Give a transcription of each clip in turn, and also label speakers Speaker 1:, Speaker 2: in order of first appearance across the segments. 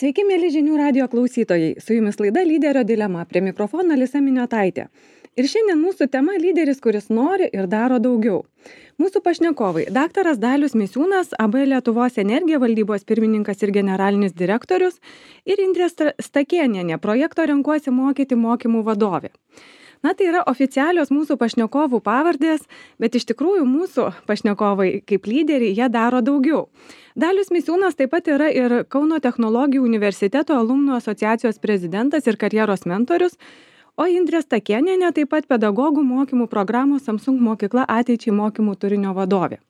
Speaker 1: Sveiki, mėly žinių radijo klausytojai. Su jumis laida Lyderio dilema. Prie mikrofono Alisa Miniotaitė. Ir šiandien mūsų tema lyderis, kuris nori ir daro daugiau. Mūsų pašnekovai – daktaras Dalius Misiūnas, AB Lietuvos Energija valdybos pirmininkas ir generalinis direktorius, ir Indrė Stakėnienė, projekto Renkuosi mokyti mokymų vadovė. Na, tai yra oficialios mūsų pašnekovų pavardės, bet iš tikrųjų mūsų pašnekovai kaip lyderiai jie daro daugiau. Dalius Misiūnas taip pat yra ir Kauno technologijų universiteto alumnų asociacijos prezidentas ir karjeros mentorius, o Indrė Stakėnienė taip pat pedagogų mokymų programos Samsung mokykla ateičiai mokymų turinio vadovė.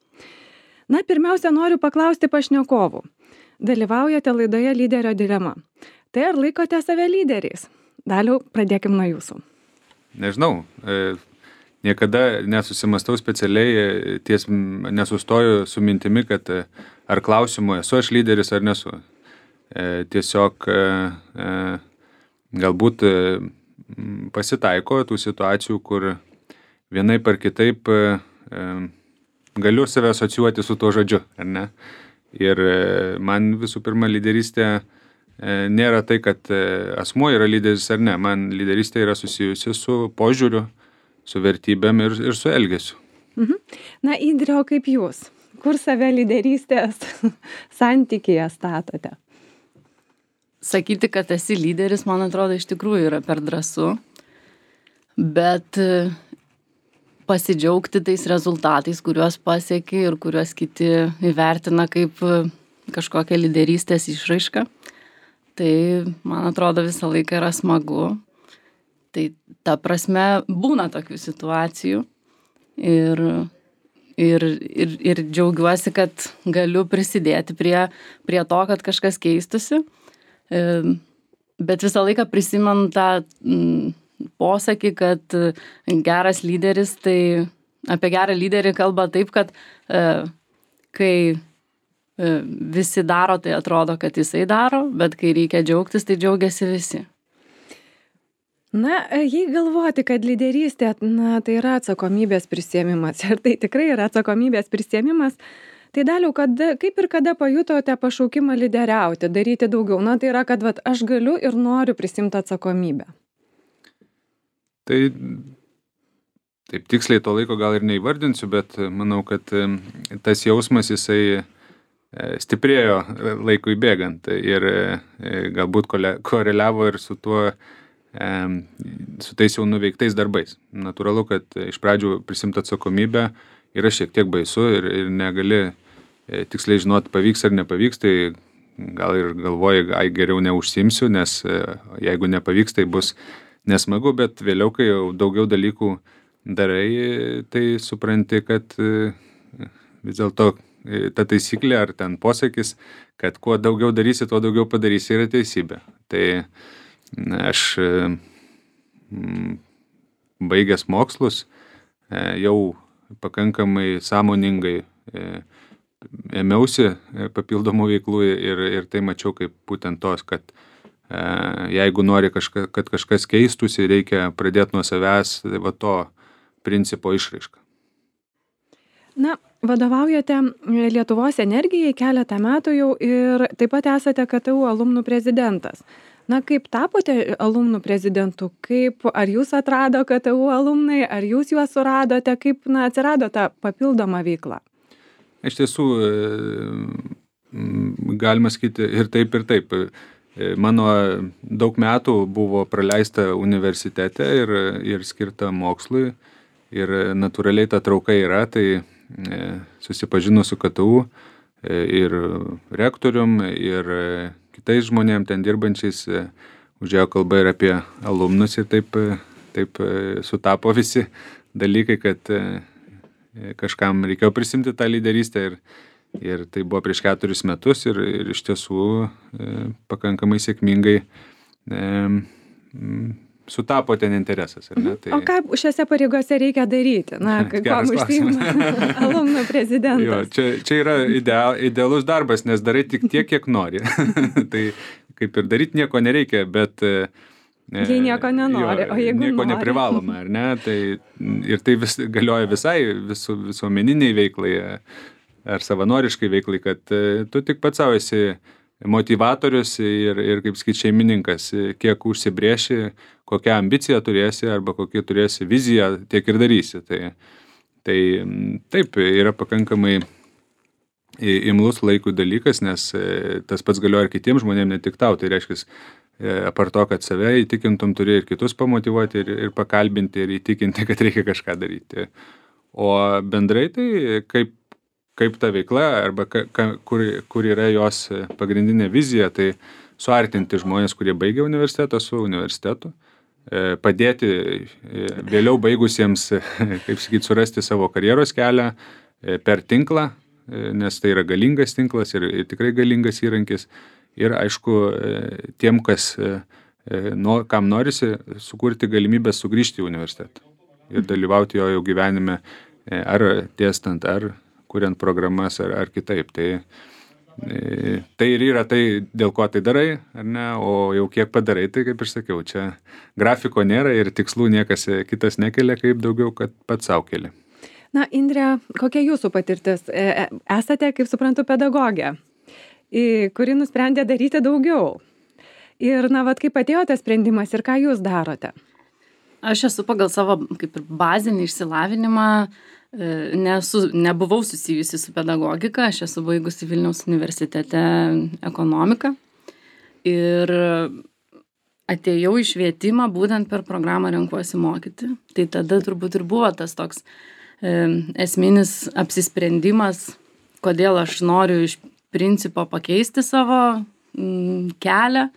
Speaker 1: Na, pirmiausia, noriu paklausti pašnekovų. Dalyvaujate laidoje Lyderio dilema. Tai ar laikote save lyderiais? Daliau, pradėkim nuo jūsų.
Speaker 2: Nežinau, niekada nesusimastau specialiai, nesustoju su mintimi, kad ar klausimu esu aš lyderis ar nesu. Tiesiog galbūt pasitaiko tų situacijų, kur vienaip ar kitaip galiu save asocijuoti su tuo žodžiu, ar ne? Ir man visų pirma lyderystė nėra tai, kad asmuo yra lyderis ar ne. Man lyderystė yra susijusi su požiūriu, su vertybėm ir su elgesiu.
Speaker 1: Na, Indrė, o kaip jūs? Kur save lyderystės santykyje statote?
Speaker 3: Sakyti, kad esi lyderis, man atrodo, iš tikrųjų yra per drąsu, bet pasidžiaugti tais rezultatais, kuriuos pasieki ir kuriuos kiti įvertina kaip kažkokią lyderystės išraišką, tai, man atrodo, visą laiką yra smagu. Tai ta prasme būna tokių situacijų ir džiaugiuosi, kad galiu prisidėti prie to, kad kažkas keistusi. Bet visą laiką prisimenu tą posakį, kad geras lyderis, tai apie gerą lyderį kalba taip, kad kai visi daro, tai atrodo, kad jisai daro, bet kai reikia džiaugtis, tai džiaugiasi visi.
Speaker 1: Na, jei galvoti, kad lyderystė, tai yra atsakomybės prisiėmimas, ir tai tikrai yra atsakomybės prisiėmimas, tai Daliau, kaip ir kada pajutote pašaukimą lyderiauti, daryti daugiau? Na, tai yra, kad aš galiu ir noriu prisimti atsakomybę.
Speaker 2: Tai taip tiksliai to laiko gal ir neįvardinsiu, bet manau, kad tas jausmas jisai stiprėjo laikui bėgant ir galbūt koreliavo ir su tais jau nuveiktais darbais. Natūralu, kad iš pradžių prisimti atsakomybę yra šiek tiek baisu ir negali tiksliai žinoti, pavyks ar nepavyks, tai gal ir galvoji, geriau neužsiimsiu, nes jeigu nepavyks, tai bus nesmagu, bet vėliau, kai jau daugiau dalykų darai, tai supranti, kad vis dėlto ta taisyklė ar ten posakis, kad kuo daugiau darysi, tuo daugiau padarysi, yra teisybė. Tai aš baigęs mokslus jau pakankamai sąmoningai ėmiausi papildomų veiklų ir tai mačiau kaip būtent tos, kad jeigu nori, kad kažkas keistųsi, reikia pradėti nuo savęs to principo išraišką.
Speaker 1: Na, vadovaujate Lietuvos Energijai keletą metų jau ir taip pat esate KTU alumnų prezidentas. Na, kaip tapote alumnų prezidentu? Ar jūs atrado KTU alumnai, ar jūs juos suradote? Kaip atsirado ta papildoma veikla?
Speaker 2: Iš tiesų, galima sakyti ir taip, ir taip. Mano daug metų buvo praleista universitete ir skirta mokslui. Ir natūraliai ta trauka yra, tai susipažinus su KTU ir rektorium, ir kitais žmonėm ten dirbančiais, užėjo kalba ir apie alumnus ir taip sutapo visi dalykai, kad kažkam reikėjo prisimti tą lyderystę ir tai buvo prieš 4 metus ir iš tiesų pakankamai sėkmingai sutapo ten interesas, ar ne?
Speaker 1: O ką šiose pareigose reikia daryti? Na, kuom užsiima alumnų prezidentas?
Speaker 2: Jo, čia yra idealus darbas, nes darai tik tiek, kiek nori. Tai kaip ir daryti nieko nereikia, bet
Speaker 1: jei nieko nenori, o jeigu
Speaker 2: nieko
Speaker 1: nori.
Speaker 2: neprivaloma, ar ne? Tai, ir tai galioja visai visuomeniniai veiklai ar savanoriškai veiklai, kad tu tik pats savo esi motyvatorius ir kaip sakyti, šeimininkas, kiek užsibrėši, kokią ambiciją turėsi arba kokią turėsi viziją, tiek ir darysi. Tai taip, yra pakankamai imlus laikų dalykas, nes tas pats galioja ir kitiems žmonėms, ne tik tau. Tai reiškia, apart to, kad save įtikintum, turi ir kitus pamotyvuoti ir pakalbinti ir įtikinti, kad reikia kažką daryti. O bendrai tai kaip ta veikla arba kur yra jos pagrindinė vizija, tai suartinti žmonės, kurie baigia universitetą su universitetu, padėti vėliau baigusiems, kaip sakyti, surasti savo karjeros kelią per tinklą, nes tai yra galingas tinklas ir tikrai galingas įrankis. Ir aišku, tiem, kam norisi sukurti galimybę sugrįžti į universitetą ir dalyvauti jo jau gyvenime, ar dėstant, ar kuriant programas, ar kitaip. Tai ir yra tai, dėl ko tai darai, ar ne, o jau kiek padarai, tai kaip ir sakiau, čia grafiko nėra ir tikslų niekas kitas nekelia, kaip daugiau, kad pats savo keli.
Speaker 1: Na, Indre, kokia jūsų patirtis? Esate, kaip suprantu, pedagogė, kuri nusprendė daryti daugiau. Ir, kaip atėjo tas sprendimas ir ką jūs darote?
Speaker 3: Aš esu pagal savo kaip ir bazinį išsilavinimą, nebuvau susijusi su pedagogika, aš esu baigusi Vilniaus universitete ekonomiką ir atėjau į švietimą būtent per programą Renkuosi mokyti. Tai tada turbūt ir buvo tas toks esminis apsisprendimas, kodėl aš noriu iš principo pakeisti savo kelią,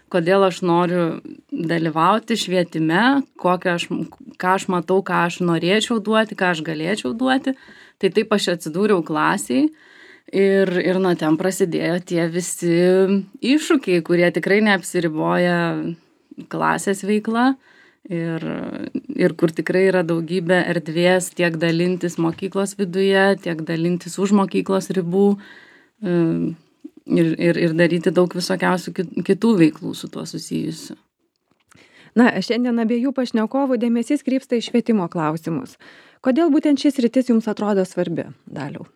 Speaker 3: kodėl aš noriu dalyvauti švietime, ką aš matau, ką aš norėčiau duoti, ką aš galėčiau duoti. Tai taip aš atsidūriau klasiai ir nuo ten prasidėjo tie visi iššūkiai, kurie tikrai neapsiriboja klasės veikla ir kur tikrai yra daugybė erdvės tiek dalintis mokyklos viduje, tiek dalintis už mokyklos ribų. Ir daryti daug visokiausių kitų veiklų su tuo susijusių.
Speaker 1: Na, šiandien abiejų pašnekovų dėmesys krypsta į švietimo klausimus. Kodėl būtent šis sritis jums atrodo svarbi, Daliau?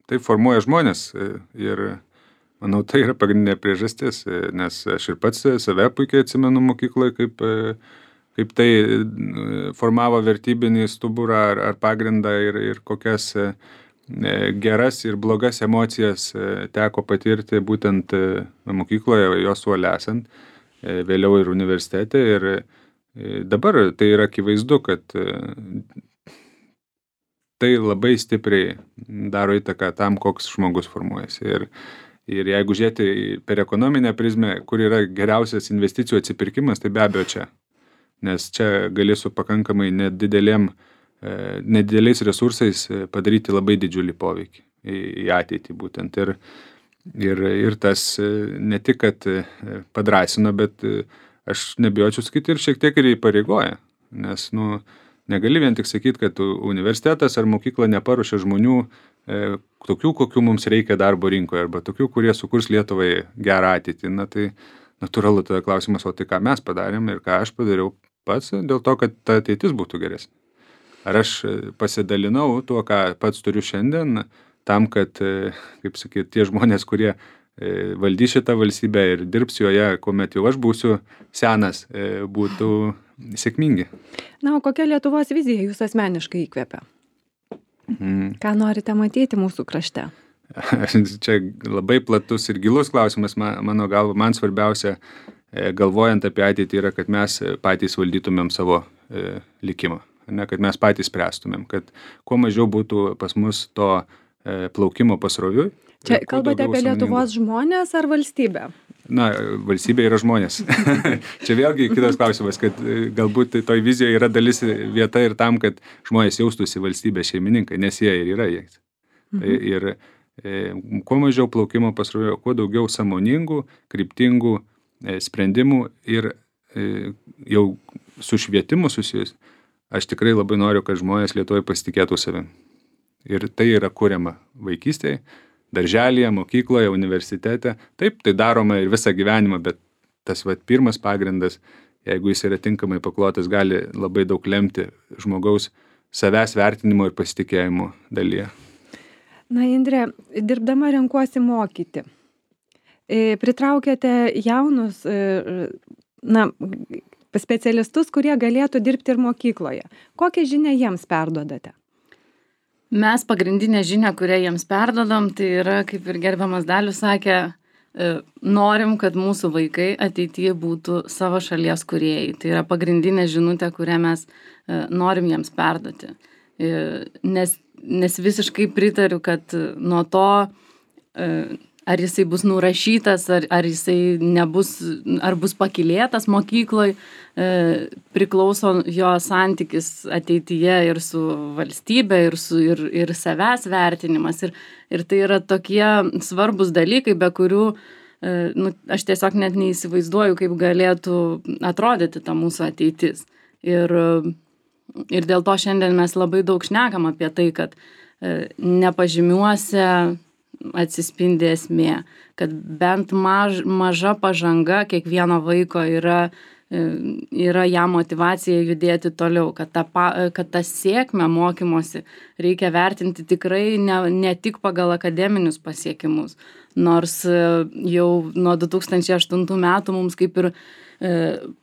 Speaker 2: Tai formuoja žmonės ir manau, tai yra pagrindinė priežastis, nes aš ir pats save puikiai atsimenu mokykloje, kaip tai formavo vertybinį stuburą ar pagrindą ir kokias geras ir blogas emocijas teko patirti būtent mokykloje, jos suole esant, vėliau ir universitete. Ir dabar tai yra akivaizdu, kad tai labai stipriai daro įtaką tam, koks žmogus formuojasi. Ir jeigu žiūrėti per ekonominę prizmę, kur yra geriausias investicijų atsipirkimas, tai be abejo čia. Nes čia gali su pakankamai nedideliais resursais padaryti labai didžiulį poveikį į ateitį būtent. Ir tas ne tik, kad padrąsino, bet aš nebijočiau sakyti ir šiek tiek ir įpareigoja. Nes, negali vien tik sakyti, kad universitetas ar mokykla neparuošia žmonių tokių, kokių mums reikia darbo rinkoje, arba tokių, kurie sukurs Lietuvai gerą ateitį. Tai natūralu tada klausimas, o tai ką mes padarėm ir ką aš padariau pats dėl to, kad ta ateitis būtų geresnė. Ar aš pasidalinau tuo, ką pats turiu šiandien, tam, kad, kaip sakyti, tie žmonės, kurie valdys šitą valstybę ir dirbs joje, kuomet jau aš būsiu senas, būtų sėkmingi.
Speaker 1: Na, o kokia Lietuvos vizija jūs asmeniškai įkvepia? Ką norite matyti mūsų krašte?
Speaker 2: Čia labai platus ir gilus klausimas, mano galva, man svarbiausia, galvojant apie ateitį, yra, kad mes patys valdytumėm savo likimą. Ne, kad mes patys spręstumėm, kad kuo mažiau būtų pas mus to plaukimo pasroviui.
Speaker 1: Čia kalbate apie Lietuvos žmonės ar valstybę?
Speaker 2: Na, valstybė yra žmonės. Čia vėlgi kitas klausimas, kad galbūt toj vizijoje yra dalis vieta ir tam, kad žmonės jaustųsi valstybės šeimininkai, nes jie ir yra jais. Ir kuo mažiau plaukimo pasroviui, kuo daugiau sąmoningų, kryptingų sprendimų ir jau su švietimu susijus. Aš tikrai labai noriu, kad žmonės Lietuvoje pasitikėtų savim. Ir tai yra kuriama vaikystėje, darželyje, mokykloje, universitete. Taip, tai daroma ir visą gyvenimą, bet tas pirmas pagrindas, jeigu jis yra tinkamai paklotas, gali labai daug lemti žmogaus savęs vertinimo ir pasitikėjimo dalyje.
Speaker 1: Na, Indrė, dirbdama renkuosi mokyti. Pritraukėte jaunus specialistus, kurie galėtų dirbti ir mokykloje. Kokią žinią jiems perdodate?
Speaker 3: Mes pagrindinę žinią, kurią jiems perdodam, tai yra, kaip ir gerbiamas Dalius sakė, norim, kad mūsų vaikai ateityje būtų savo šalies kūrėjai. Tai yra pagrindinė žinutė, kurią mes norim jiems perduoti. Nes visiškai pritariu, kad nuo to, ar jisai bus nurašytas, ar jisai ar bus pakylėtas mokykloje, priklauso jo santykis ateityje ir su valstybe, ir savęs vertinimas. Ir tai yra tokie svarbus dalykai, be kurių aš tiesiog net neįsivaizduoju, kaip galėtų atrodyti ta mūsų ateitis. Ir dėl to šiandien mes labai daug šnekam apie tai, kad nepažymiuose atsispindi esmė, kad bent maža pažanga kiekvieno vaiko yra jam motyvacija judėti toliau, kad tą sėkmę mokymosi reikia vertinti tikrai ne tik pagal akademinius pasiekimus, nors jau nuo 2008 metų mums kaip ir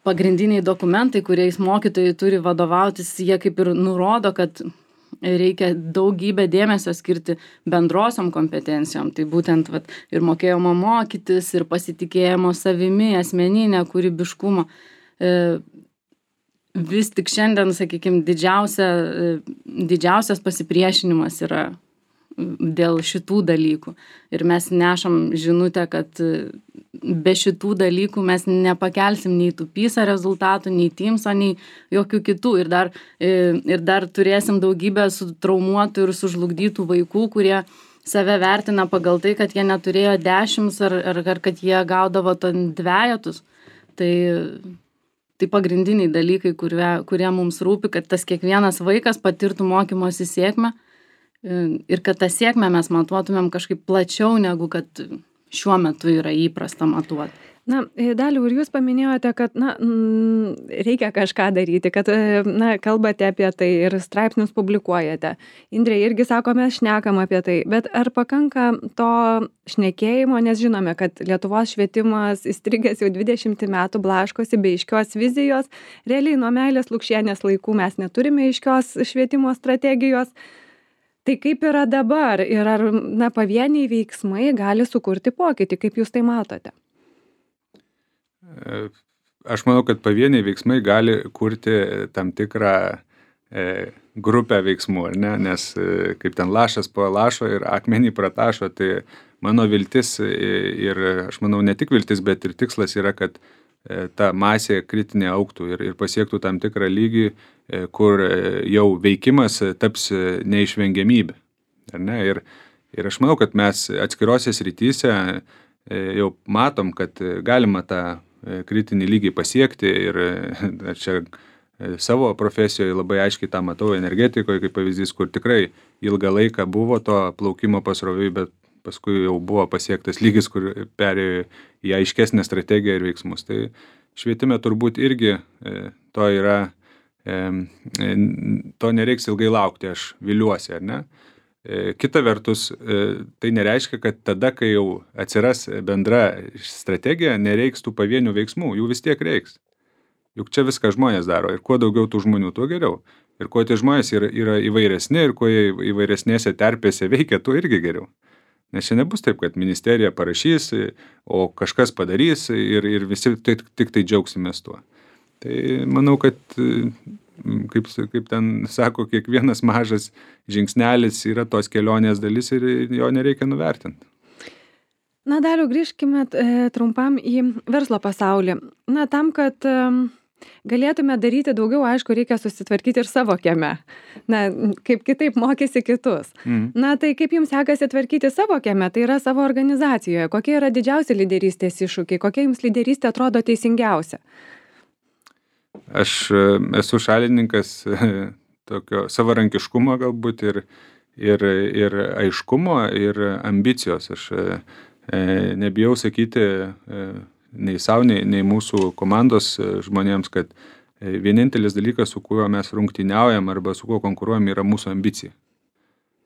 Speaker 3: pagrindiniai dokumentai, kuriais mokytojai turi vadovautis, jie kaip ir nurodo, kad reikia daugybę dėmesio skirti bendrosiom kompetencijom. Tai būtent ir mokėjimo mokytis, ir pasitikėjimo savimi, asmeninė kūrybiškumo. Vis tik šiandien, sakykime, didžiausias pasipriešinimas yra dėl šitų dalykų. Ir mes nešam žinutę, kad be šitų dalykų mes nepakelsim nei tų PISA rezultatų, nei TIMSO, nei jokių kitų. Ir dar turėsim daugybę sutraumuotų ir sužlugdytų vaikų, kurie save vertina pagal tai, kad jie neturėjo 10 ar kad jie gaudavo dvejetus. Tai pagrindiniai dalykai, kurie mums rūpi, kad tas kiekvienas vaikas patirtų mokymosi sėkmę ir kad tą sėkmę mes matuotumėm kažkaip plačiau, negu kad šiuo metu yra įprasta matuoti.
Speaker 1: Na, Daliau, ir jūs paminėjote, kad reikia kažką daryti, kad kalbate apie tai ir straipsnius publikuojate. Indrė irgi sako, mes šnekam apie tai, bet ar pakanka to šnekėjimo, nes žinome, kad Lietuvos švietimas įstrigęs jau 20 metų blaškosi be aiškios vizijos. Realiai nuo Meilės Lukšienės laikų mes neturime aiškios švietimo strategijos. Tai kaip yra dabar ir ar pavieniai veiksmai gali sukurti pokytį, kaip jūs tai matote?
Speaker 2: Aš manau, kad pavieniai veiksmai gali kurti tam tikrą grupę veiksmų, ar ne? Nes kaip ten lašas po lašo ir akmenį pratašo, tai mano viltis ir aš manau ne tik viltis, bet ir tikslas yra, kad ta masė kritinė augtų ir pasiektų tam tikrą lygį, kur jau veikimas taps neišvengiamybė. Ar ne? Ir aš manau, kad mes atskirose srityse jau matom, kad galima tą kritinį lygį pasiekti ir čia savo profesijoje labai aiškiai tą matau energetikoje kaip pavyzdys, kur tikrai ilgą laiką buvo to plaukimo pasroviui, bet paskui jau buvo pasiektas lygis, kur perėjo į aiškesnę strategiją ir veiksmus. Tai švietime turbūt irgi to yra, to nereiks ilgai laukti, aš viliuosi, ar ne? Kita vertus, tai nereiškia, kad tada, kai jau atsiras bendra strategija, nereiks tų pavienių veiksmų, jų vis tiek reiks. Juk čia viską žmonės daro ir kuo daugiau tų žmonių, tuo geriau. Ir kuo tie žmonės yra įvairesni ir kuo jie įvairesnėse terpėse veikia, tuo irgi geriau. Nes čia nebus taip, kad ministerija parašys, o kažkas padarys ir visi tik tai džiaugsimės tuo. Tai manau, kad, kaip ten sako, kiekvienas mažas žingsnelis yra tos kelionės dalis ir jo nereikia nuvertinti.
Speaker 1: Na, Daliau, grįžkime trumpam į verslo pasaulį. Na, tam, kad galėtume daryti daugiau, aišku, reikia susitvarkyti ir savo kieme. Na, kaip kitaip mokysi kitus. Na, tai kaip jums sekasi tvarkyti savo kieme, tai yra savo organizacijoje. Kokie yra didžiausi lyderystės iššūkiai? Kokia jums lyderystė atrodo teisingiausia?
Speaker 2: Aš esu šalininkas tokio savarankiškumo galbūt ir aiškumo ir ambicijos. Aš nebijau sakyti nei savo, nei mūsų komandos žmonėms, kad vienintelis dalykas, su kuriuo mes rungtyniaujam arba su kuo konkuruojam, yra mūsų ambicija.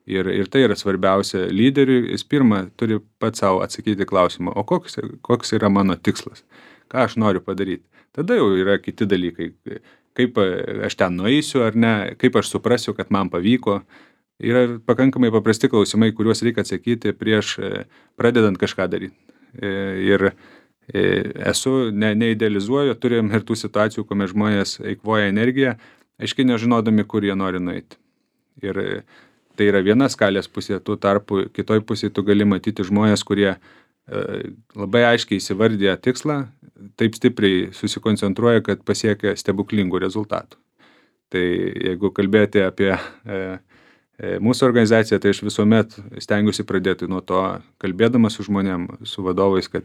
Speaker 2: Ir tai yra svarbiausia lyderiui. Jis pirmą turi pats savo atsakyti klausimą, o koks yra mano tikslas, ką aš noriu padaryti. Tada jau yra kiti dalykai, kaip aš ten nueisiu ar ne, kaip aš suprasiu, kad man pavyko. Yra pakankamai paprasti klausimai, kuriuos reikia atsakyti prieš pradedant kažką daryti. Ir neidealizuoju, turim ir tų situacijų, kuomet žmonės eikvoja energiją, aiškiai nežinodami, kur jie nori nueiti. Ir tai yra viena skalės pusė, tuo tarpu kitoj pusėje tu gali matyti žmonės, kurie labai aiškiai įsivardė tikslą, taip stipriai susikoncentruoja, kad pasiekia stebuklingų rezultatų. Tai jeigu kalbėti apie mūsų organizaciją, tai aš visuomet stengiuosi pradėti nuo to, kalbėdamas su žmonėm, su vadovais, kad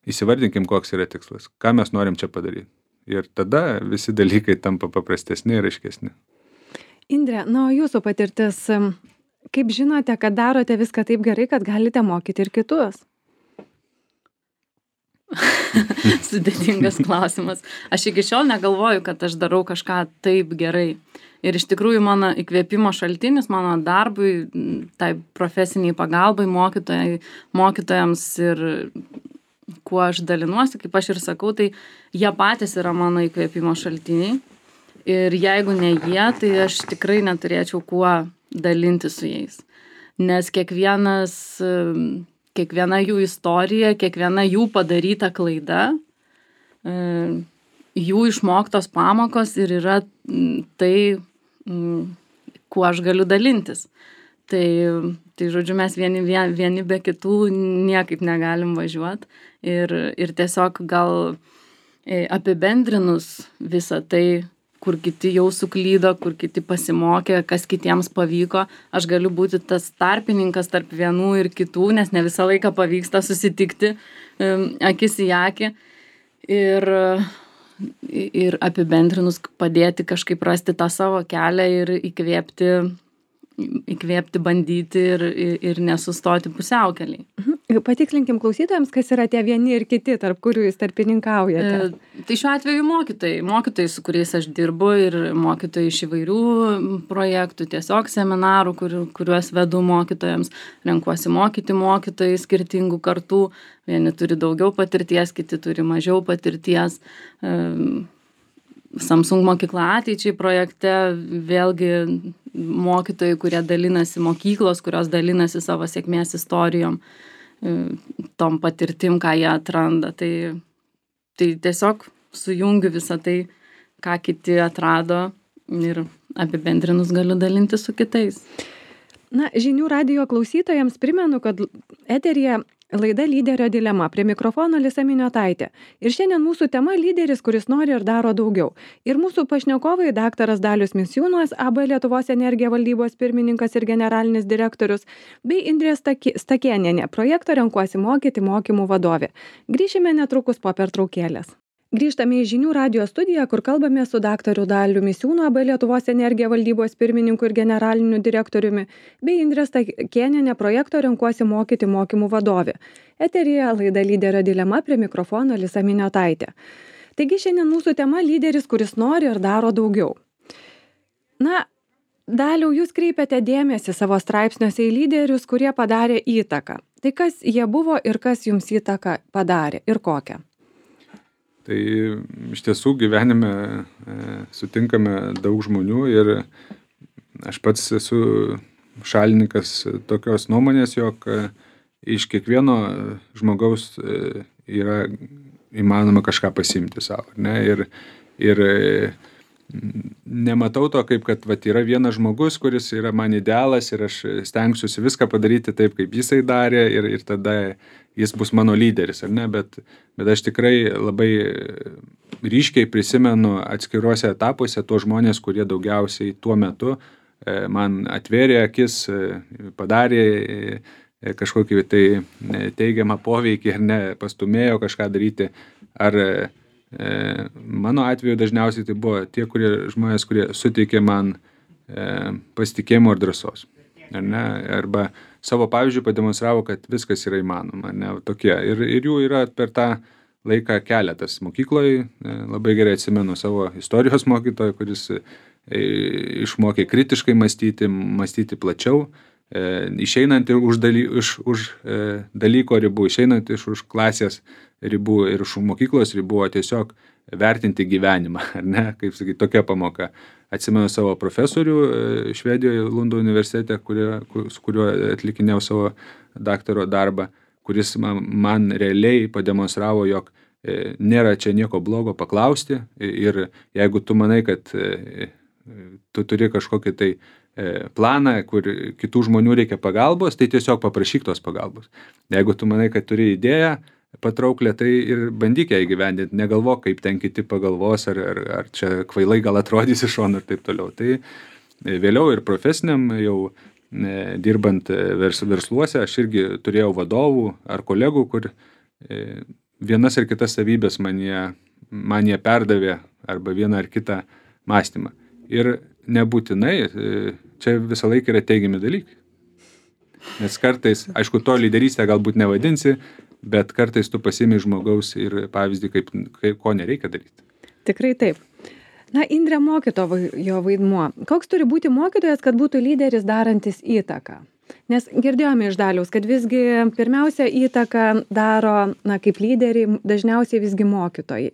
Speaker 2: įsivardinkim, koks yra tikslas, ką mes norim čia padaryti. Ir tada visi dalykai tampa paprastesni ir aiškesni.
Speaker 1: Indre, o jūsų patirtis, kaip žinote, kad darote viską taip gerai, kad galite mokyti ir kitus?
Speaker 3: Sudėtingas klausimas. Aš iki šiol negalvoju, kad aš darau kažką taip gerai. Ir iš tikrųjų mano įkvėpimo šaltinis, mano darbui, tai profesiniai pagalbai mokytojams ir kuo aš dalinuosi, kaip aš ir sakau, tai jie patys yra mano įkvėpimo šaltiniai. Ir jeigu ne jie, tai aš tikrai neturėčiau kuo dalinti su jais. Nes kiekviena jų istorija, kiekviena jų padaryta klaida, jų išmoktos pamokos ir yra tai, kuo aš galiu dalintis. Tai žodžiu, mes vieni be kitų niekaip negalim važiuoti. Ir tiesiog gal apibendrinus visą tai, kur kiti jau suklydo, kur kiti pasimokė, kas kitiems pavyko. Aš galiu būti tas tarpininkas tarp vienų ir kitų, nes ne visą laiką pavyksta susitikti akis į akį. Ir apibendrinus padėti kažkaip rasti tą savo kelią ir įkvėpti, bandyti ir nesustoti pusiaukelėj.
Speaker 1: Patikslinkim klausytojams, kas yra tie vieni ir kiti, tarp kurių jūs tarpininkaujate.
Speaker 3: Tai šiuo atveju mokytojai, su kuriais aš dirbu, ir mokytojai iš įvairių projektų, tiesiog seminarų, kuriuos vedu mokytojams, renkuosi mokyti mokytojai skirtingų kartų, vieni turi daugiau patirties, kiti turi mažiau patirties. Samsung mokykla ateičiai projekte vėlgi mokytojai, kurie dalinasi, mokyklos, kurios dalinasi savo sėkmės istorijom, tom patirtim, ką jie atranda. Tai tiesiog sujungiu visą tai, ką kiti atrado, ir apibendrinus galiu dalinti su kitais.
Speaker 1: Žinių radijo klausytojams primenu, kad eteryje laida Lyderio dilema. Prie mikrofono Alisa Miniotaitė. Ir šiandien mūsų tema lyderis, kuris nori ir daro daugiau. Ir mūsų pašnekovai daktaras Dalius Misiūnas, AB Lietuvos Energija valdybos pirmininkas ir generalinis direktorius, bei Indrė Stakėnienė, projekto Renkuosi mokyti mokymų vadovė. Grįšime netrukus po pertraukėlės. Grįžtame į Žinių radijo studiją, kur kalbame su daktaru Daliu Misiūnu, AB Lietuvos Energija valdybos pirmininku ir generaliniu direktoriumi, bei Indrė Stakėnienė, projekto Renkuosi mokyti mokymų vadovė. Eteryje laida Lyderio dilema, prie mikrofono Alisa Miniotaitė. Taigi šiandien mūsų tema lyderis, kuris nori ir daro daugiau. Daliau, jūs kreipiate dėmesį savo straipsniuose į lyderius, kurie padarė įtaką. Tai kas jie buvo ir kas jums įtaką padarė ir kokią?
Speaker 2: Tai iš tiesų gyvenime sutinkame daug žmonių ir aš pats esu šalininkas tokios nuomonės, jog iš kiekvieno žmogaus yra įmanoma kažką pasiimti savo. Ir nematau to, kaip kad yra vienas žmogus, kuris yra man idealas ir aš stengsiuosi viską padaryti taip, kaip jisai darė ir tada jis bus mano lyderis, ar ne? Bet aš tikrai labai ryškiai prisimenu atskiruose etapuose tuos žmonės, kurie daugiausiai tuo metu man atvėrė akis, padarė kažkokį tai teigiamą poveikį ar ne, pastumėjo kažką daryti. Ar mano atveju dažniausiai tai buvo tie žmonės, kurie suteikė man pasitikėjimo ir drąsos. Ar ne? Arba savo pavyzdžių pademonstravo, kad viskas yra įmanoma. Ne? Tokie. Ir jų yra per tą laiką keletas. Mokykloje labai gerai atsimenu savo istorijos mokytoją, kuris išmokė kritiškai mąstyti plačiau. išeinant ir už dalyko ribų, išeinant už klasės ribų ir už mokyklos ribų, o tiesiog vertinti gyvenimą, ar ne, kaip sakyti, tokia pamoka. Atsimenu savo profesorių Švedijoje, Lundo universitete, su kuriuo atlikinėjau savo daktaro darbą, kuris man realiai pademonstravo, jog nėra čia nieko blogo paklausti ir jeigu tu manai, kad tu turi kažkokį tai planą, kur kitų žmonių reikia pagalbos, tai tiesiog paprašyk tos pagalbos. Jeigu tu manai, kad turi idėją patrauklę, tai ir bandyk ją įgyvendinti, negalvok, kaip ten kiti pagalvos, ar čia kvailai gal atrodys iš šono ir taip toliau. Tai vėliau ir profesiniam jau dirbant versluose, aš irgi turėjau vadovų ar kolegų, kur vienas ar kitas savybės man jie perdavė arba vieną ar kitą mąstymą. Ir nebūtinai, čia visą laiką yra teigiami dalykai. Nes kartais, aišku, to lyderystę galbūt nevadinsi, bet kartais tu pasiimi žmogaus ir pavyzdį, ko nereikia daryti.
Speaker 1: Tikrai taip. Na, Indrė, mokytojo vaidmuo. Koks turi būti mokytojas, kad būtų lyderis darantis įtaką? Nes girdėjome iš Daliaus, kad visgi pirmiausia įtaką daro, kaip lyderiai, dažniausiai visgi mokytojai.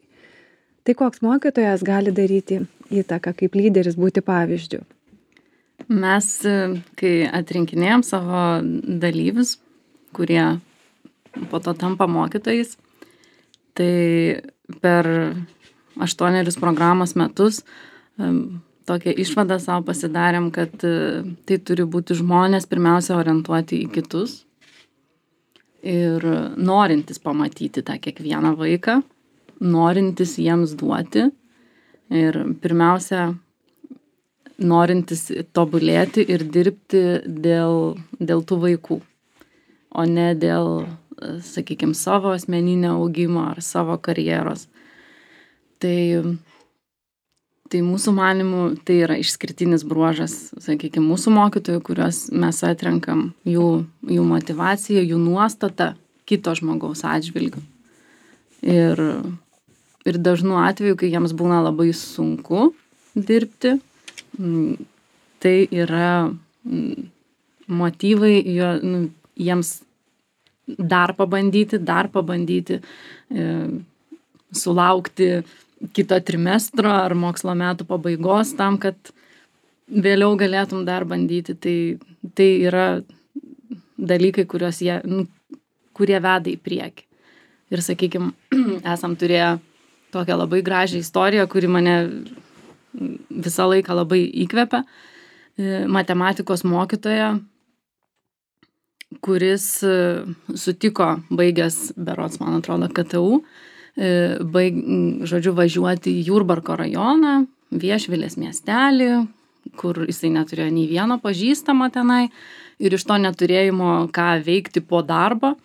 Speaker 1: Tai koks mokytojas gali daryti įtaką, kaip lyderis būti pavyzdžiu?
Speaker 3: Mes, kai atrinkinėjom savo dalyvius, kurie po to tampa mokytojais, tai per 8 programos metus tokią išvadą savo pasidarėm, kad tai turi būti žmonės pirmiausia orientuoti į kitus ir norintis pamatyti tą kiekvieną vaiką, norintis jiems duoti ir pirmiausia norintis tobulėti ir dirbti dėl tų vaikų, o ne dėl, sakykime, savo asmeninio augimo ar savo karjeros. Tai mūsų manimų tai yra išskirtinis bruožas, sakykime, mūsų mokytojų, kuriuos mes atrenkam, jų motyvacija, jų nuostata kito žmogaus atžvilgiu. Ir dažnu atveju, kai jiems būna labai sunku dirbti, tai yra motyvai jiems dar pabandyti sulaukti kito trimestro ar mokslo metų pabaigos tam, kad vėliau galėtum dar bandyti. Tai yra dalykai, kurie veda į priekį. Ir, sakykime, esam turėję tokią labai gražią istoriją, kuri mane visą laiką labai įkvepia. Matematikos mokytoja, kuris sutiko baigęs, berods, man atrodo, KTU, važiuoti į Jurbarko rajoną, Viešvilės miestelį, kur jisai neturėjo nei vieno pažįstamo tenai ir iš to neturėjimo ką veikti po darbo,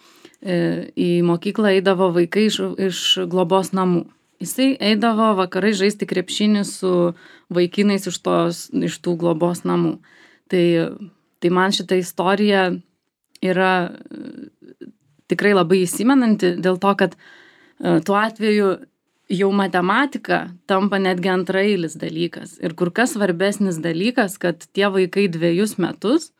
Speaker 3: į mokyklą eidavo vaikai iš globos namų. Jisai eidavo vakarai žaisti krepšinį su vaikinais iš tų globos namų. Tai man šita istorija yra tikrai labai įsimenanti dėl to, kad tuo atveju jau matematika tampa netgi antraeilis dalykas. Ir kur kas svarbesnis dalykas, kad tie vaikai 2 metus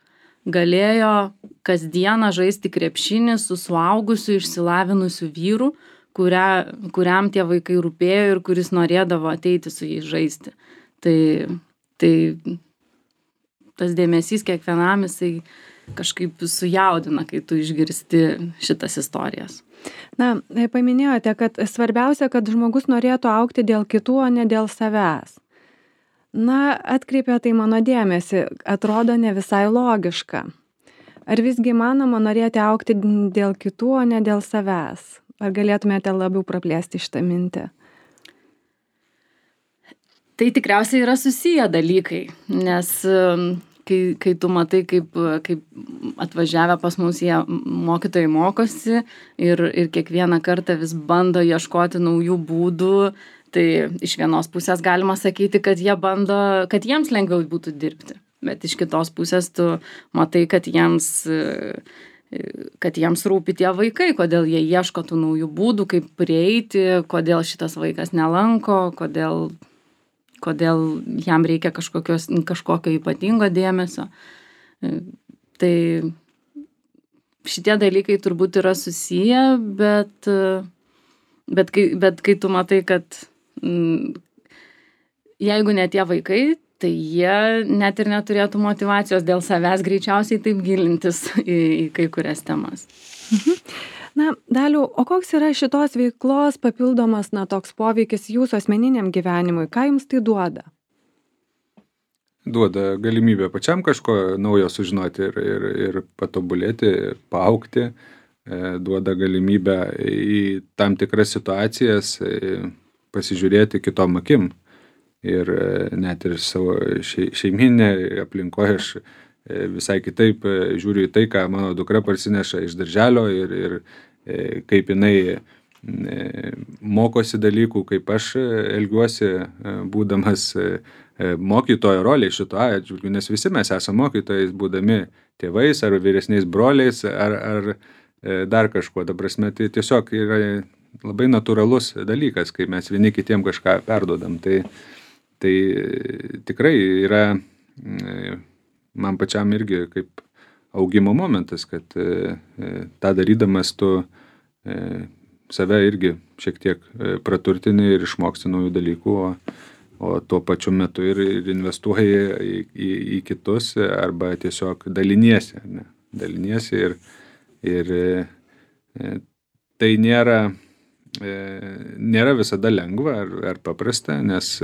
Speaker 3: galėjo kasdieną žaisti krepšinį su suaugusiu išsilavinusiu vyru, kuriam tie vaikai rūpėjo ir kuris norėdavo ateiti su jais žaisti. Tai tas dėmesys kiekvienam jisai kažkaip sujaudina, kai tu išgirsti šitas istorijas.
Speaker 1: Na, paminėjote, kad svarbiausia, kad žmogus norėtų augti dėl kitų, o ne dėl savęs. Na, atkreipė tai mano dėmesį, atrodo ne visai logiška. Ar visgi manoma norėti augti dėl kitų, o ne dėl savęs? Ar galėtumėte labiau praplėsti šitą mintį?
Speaker 3: Tai tikriausiai yra susiję dalykai, nes kai tu matai, kaip atvažiavę pas mus jie mokytojai mokosi ir kiekvieną kartą vis bando ieškoti naujų būdų, tai iš vienos pusės galima sakyti, kad jiems lengviau būtų dirbti, bet iš kitos pusės tu matai, kad jiems rūpi tie vaikai, kodėl jie ieško tų naujų būdų, kaip prieiti, kodėl šitas vaikas nelanko, kodėl jam reikia kažkokio ypatingo dėmesio. Tai šitie dalykai turbūt yra susiję, bet kai tu matai, kad jeigu ne tie vaikai, tai jie net ir neturėtų motyvacijos dėl savęs greičiausiai taip gilintis į kai kurias temas.
Speaker 1: Na, Daliau, o koks yra šitos veiklos papildomas, toks poveikis jūsų asmeniniam gyvenimui? Ką jums tai duoda?
Speaker 2: Duoda galimybę pačiam kažko naujo sužinoti ir patobulėti, paaugti, duoda galimybę į tam tikras situacijas pasižiūrėti kitom akim. Ir net ir savo šeiminė aplinkoje aš visai kitaip žiūriu į tai, ką mano dukra parsineša iš darželio ir kaip jinai mokosi dalykų, kaip aš elgiuosi, būdamas mokytojo roliai šito atžvilgiu, nes visi mes esame mokytojais, būdami tėvais ar vyresniais broliais ar dar kažkuo. Ta prasme, tai tiesiog yra labai natūralus dalykas, kai mes vieni kitiem kažką perduodam. Tai tikrai yra man pačiam irgi kaip augimo momentas, kad tą darydamas tu save irgi šiek tiek praturtini ir išmoksti naujų dalykų, o tuo pačiu metu ir investuoji į kitus arba tiesiog daliniesi. Ne? Daliniesi ir tai nėra visada lengva ar paprasta, nes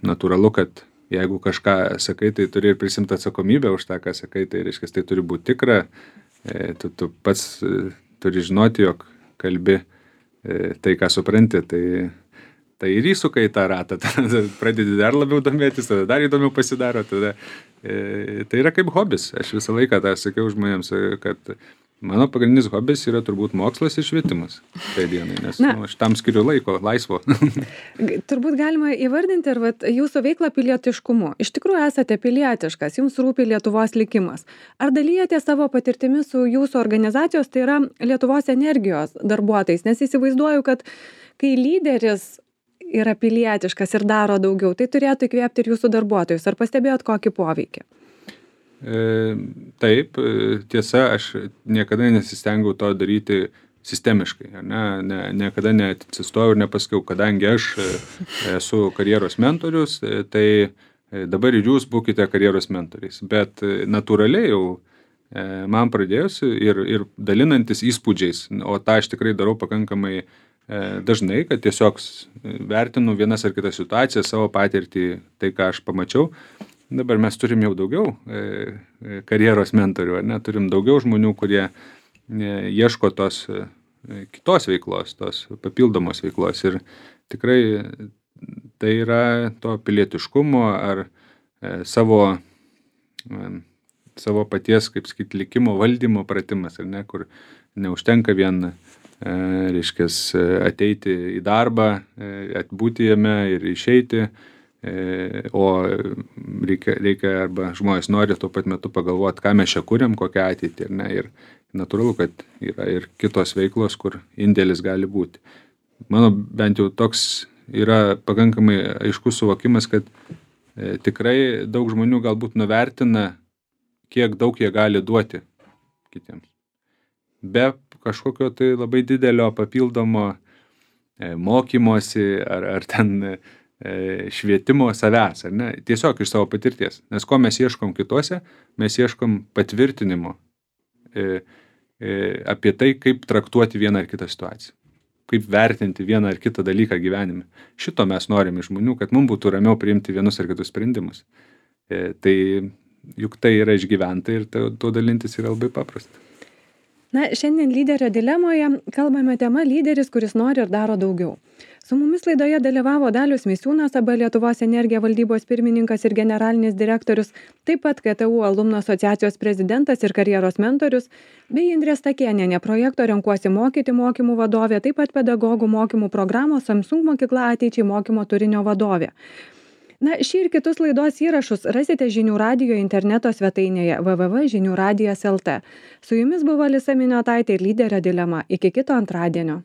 Speaker 2: natūralu, kad jeigu kažką sakai, tai turi ir prisimti atsakomybę už tą, ką sakai, tai reiškia, tai turi būti tikra, tu pats turi žinoti, jog kalbi tai, ką supranti, tai ir įsuka į tą ratą, tada pradedi dar labiau domėtis, tada dar įdomiau pasidaro, tada tai yra kaip hobis. Aš visą laiką tą sakiau žmonėms, kad mano pagrindinis hobis yra turbūt mokslas ir švietimas tai dienai, nes aš tam skiriu laiko, laisvo.
Speaker 1: Turbūt galima įvardinti ir jūsų veiklą pilietiškumu. Iš tikrųjų esate pilietiškas, jums rūpi Lietuvos likimas. Ar dalyjate savo patirtimi su jūsų organizacijos, tai yra Lietuvos energijos darbuotojais? Nes įsivaizduoju, kad kai lyderis yra pilietiškas ir daro daugiau, tai turėtų įkvėpti ir jūsų darbuotojus. Ar pastebėjot kokį poveikį?
Speaker 2: Taip, tiesa, aš niekada nesistengiau to daryti sistemiškai. Niekada neatsistojau ir nepasakiau, kadangi aš esu karjeros mentorius, tai dabar ir jūs būkite karjeros mentoriais. Bet natūraliai jau man pradėjus ir dalinantis įspūdžiais, o tą aš tikrai darau pakankamai dažnai, kad tiesiog vertinu vienas ar kitas situacijas, savo patirtį, tai, ką aš pamačiau. Dabar mes turim jau daugiau karjeros mentorių, turim daugiau žmonių, kurie ieško tos kitos veiklos, tos papildomos veiklos. Ir tikrai tai yra to pilietiškumo ar savo paties, kaip sakyti, likimo valdymo pratimas, kur neužtenka vien ateiti į darbą, atbūti jame ir išeiti, o reikia arba žmonės nori tuo pat metu pagalvoti, ką mes čia kuriam, kokią ateitį. Ir natūralu, kad yra ir kitos veiklos, kur indėlis gali būti. Mano bent jau toks yra pakankamai aiškus suvokimas, kad tikrai daug žmonių galbūt nuvertina, kiek daug jie gali duoti kitiems. Be kažkokio tai labai didelio papildomo mokymosi ar ten švietimo savęs, tiesiog iš savo patirties. Nes ko mes ieškom kituose, mes ieškom patvirtinimo apie tai, kaip traktuoti vieną ar kitą situaciją, kaip vertinti vieną ar kitą dalyką gyvenime. Šito mes norime iš žmonių, kad mums būtų ramiau priimti vienus ar kitus sprendimus. Tai juk tai yra išgyventa ir to dalintis yra labai paprasta.
Speaker 1: Šiandien lyderio dilemoje kalbame tema lyderis, kuris nori ir daro daugiau. Su mumis laidoje dalyvavo Dalius Misiūnas, AB Lietuvos energija valdybos pirmininkas ir generalinis direktorius, taip pat KTU alumnų asociacijos prezidentas ir karjeros mentorius, bei Indrė Stakėnienė, projekto Renkuosi mokyti mokymų vadovė, taip pat pedagogų mokymų programos Samsung mokykla ateičiai mokymo turinio vadovė. Šį ir kitus laidos įrašus rasite Žinių radijo interneto svetainėje www.žiniuradijas.lt. Su jumis buvo Alisa Miniotaitė ir lyderio dilema. Iki kito antradienio.